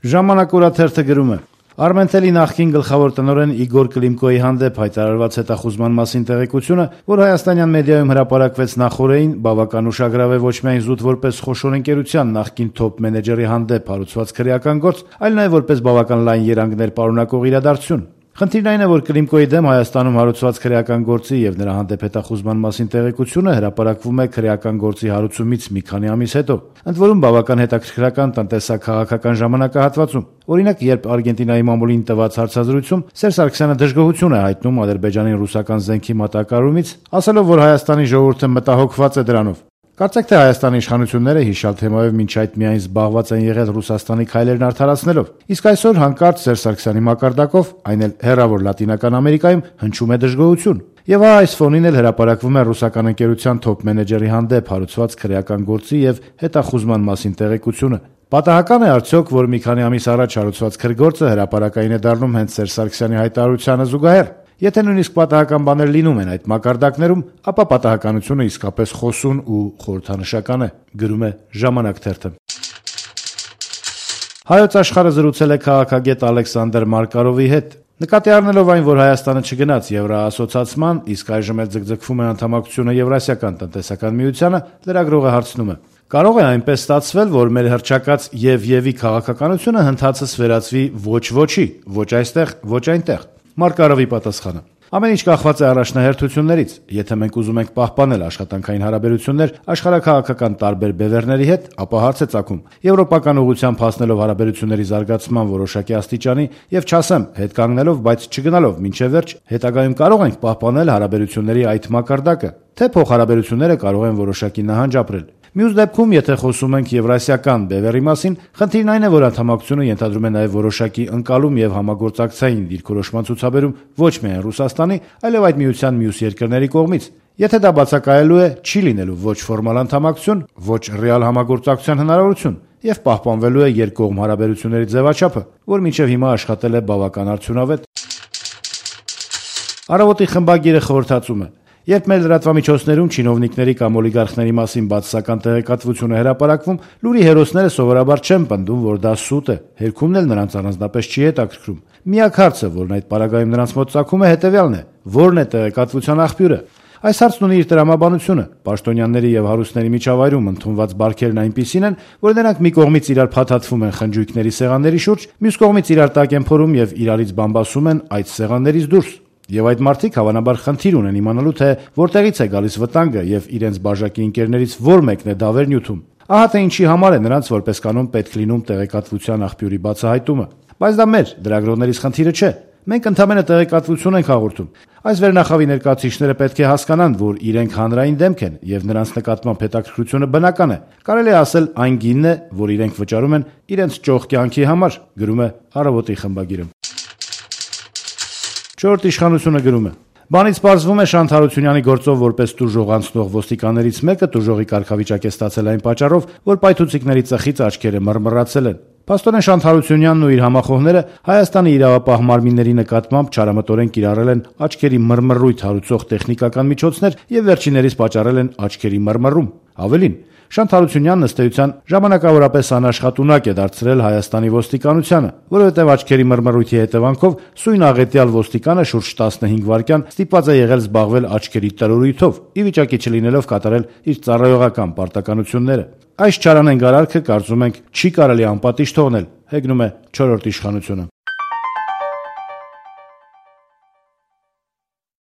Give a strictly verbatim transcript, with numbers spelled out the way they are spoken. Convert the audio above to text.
Ժամանակ օրաթերթը գրում է. Արմենտելի նախկին գլխավոր տնօրեն Իգոր Կլիմկոյի հանդեպ հայտարարված հետախուզման մասին տեղեկությունը, որ հայաստանյան մեդիայում հրապարակվեց նախօրեին, բավական ուշագրավ է ոչ միայն զուտ որպես խոշոր ընկերության նախկին թոփ մենեջերի հանդեպ հարուցված քրեական գործ, այլ նաև որպես բավական լայն երանգներ պարունակող իրադարձություն։ Խնդիրն այն է, որ Կլիմկոյի դեմ Հայաստանում հարուցված քրեական գործի եւ նրա հանդեպ հետախուզման մասին տեղեկությունը հրապարակվում է քրեական գործի հարուցումից մի քանի ամիս հետո, ընդ որում բավական հետաքրքրական տնտեսա-քաղաքական ժամանակահատվածում։ Օրինակ, երբ Արգենտինայի մամուլին տված հարցազրույցում Սերժ Սարգսյանը դժգոհություն է հայտնում Ադրբեջանի ռուսական զենքի մատակարարումից, ասելով, որ Հայաստանի ժողովուրդը մտահոգված է դրանով։ Կարծեք թե Հայաստանի իշխանությունները հիշալ թեմայով մինչ այդ միայն զբաղված են եղել Ռուսաստանի քայլերն արդարացնելով, իսկ այսօր հանկարծ Սերժ Սարգսյանի մակարդակով, այն էլ հեռավոր Լատինական Ամերիկայում հնչում է դժգոհություն։ Եվ այս ֆոնին էլ հրապարակվում է ռուսական ընկերության թոփ մենեջերի հանդեպ հարուցված քրեական գործի եւ հետախուզման մասին տեղեկությունը։ Պատահական է արդյոք, որ մի քանի ամիս առաջ հարուցված քրգործը հրապարակային է դառնում հենց Սերժ Սարգսյանի հայտարարությանը զուգահեռ։ Եթե նույնիսկ պատահական բաներ լինում են այդ մակարդակներում, ապա պատահականությունը իսկապես խոսուն ու խորհրդանշական է, գրում է Ժամանակ թերթը։ Հայոց աշխարհը զրուցել է քաղաքագետ Ալեքսանդր Մարկարովի հետ։ Նկատի առնելով այն, որ Հայաստանը չգնաց Եվրոասոցիացման, իսկ այժմ էլ ձգձգվում է անդամակցությունը Եվրասիական տնտեսական միությանը, լրագրողը հարցնում է. Կարող է այնպես ստացվել, որ մեր հռչակած եւ-եւի քաղաքականությունը հնդածս վերածվի ոչ ոչի, ոչ այստեղ, ոչ այնտեղ։ Մարկարովի պատասխանը. Ամեն ինչ կախված է առաջնահերթություններից։ Եթե մենք ուզում ենք պահպանել աշխատանքային հարաբերություններ աշխարհաքաղաքական տարբեր բևեռների հետ, ապա հարց է ծագում եվրոպական ուղղությամբ հասնելով հարաբերությունների զարգացման որոշակի աստիճանի եւ չասեմ հետ կանգնելով, բայց չգնալով մինչեւ վերջ, հետագայում կարող ենք պահպանել հարաբերությունների այդ մակարդակը, թե փոխհարաբերությունները կարող են որոշակի նահանջ ապրել։ Մյուս դեպքում, եթե խոսում ենք եվրասիական բևեռի մասին, խնդիրն այն է, որ անդամակցությունը ենթադրում է նաև որոշակի ընկալում եւ համագործակցային դիրքորոշման ցուցաբերում ոչ միայն Ռուսաստանի, այլև այդ միության մյուս երկրների կողմից։ Եթե դա բացակայելու է, չի լինելու ոչ ֆորմալ անդամակցություն, ոչ ռեալ համագործակցության հնարավորություն եւ պահպանվելու է երկկողմ հարաբերությունների ձևաչափը, որ մինչեւ հիմա աշխատել է բավական արդյունավետ։ Առավոտի խմբագիրը խորհրդածում է. Երբ մեր լրատվամիջոցներում չինովնիկների կամ օլիգարխների մասին բացասական տեղեկատվություն է հրապարակվում, լուրի հերոսները սովորաբար չեն պնդում, որ դա սուտ է, հերքումն էլ նրանց առանձնապես չի հետաքրքրում։ Միակ հարցը, որն այդ պարագայում նրանց մոտ ծագում է, հետևյալն է. ո՞րն է տեղեկատվության աղբյուրը։ Այս հարցն ունի իր տրամաբանությունը։ Պաշտոնյաների եւ հարուստների միջավայրում ընդունված բարքերն այնպիսին են, որ նրանք մի կողմից իրար փաթաթվում են խնջույքների սեղանների շուրջ, մյուս կողմից իրար տակ են փորում եւ իրարից բամբասում են այդ սեղաններից դուրս։ Եվ այդ մարդիկ հավանաբար խնդիր ունեն իմանալու, թե որտեղից է գալիս վտանգը եւ իրենց բաժակի ընկերներից որ մեկն է դավեր նյութում։ Ահա թե ինչի համար է նրանց որպես կանոն պետք լինում տեղեկատվության աղբյուրի բացահայտումը։ Բայց դա մեր դրագրողներից խնդիրը չէ։ Մենք ընդհանրապես տեղեկատվություն ենք հաղորդում։ Այս վերնախավի ներկայացուցիչները պետք է հասկանան, որ իրենք հանրային դեմք են եւ նրանց նկատմամբ հետաքրքրությունը բնական է։ Կարելի է ասել այն գինն է, որ իրենք վճարում են իրենց ճոխ կյանքի համար, գրում է Առավոտի խմբագիրը։ Չորրորդ իշխանությունը գրում է. Բանից պարզվում է Շանթ Հարությունյանի գործով որպես տուժող անցնող ոստիկաններից մեկը տուժողի կարգավիճակ է ստացել այն պատճառով, որ պայթուցիկների ծխից աչքերը մռմռացել են։ Պաստորեն Շանթ Հարությունյանն ու իր համախոհները Հայաստանի իրավապահ մարմինների նկատմամբ չարամտորեն կիրառել են աչքերի մռմռույթ հարուցող տեխնիկական միջոցներ եւ վերջիններիս պատճառել են աչքերի մռմռում։ Ավելին, Շանթ Հարությունյանն ըստ էության ժամանակավորապես անաշխատունակ է դարձրել Հայաստանի ոստիկանությանը, որովհետև աչքերի մռմռույթի հետևանքով սույն աղետյալ ոստիկանը շուրջ տասնհինգ վայրկյան ստիպված է եղել զբաղվել աչքերի տրորույթով, ի վիճակի չլինելով կատարել իր ծառայողական պարտականությունները։ Այս չարանենգ արարքը, կարծում ենք, չի կարելի անպատիժ թողնել, հեգնում է չորրորդ իշխանությունը։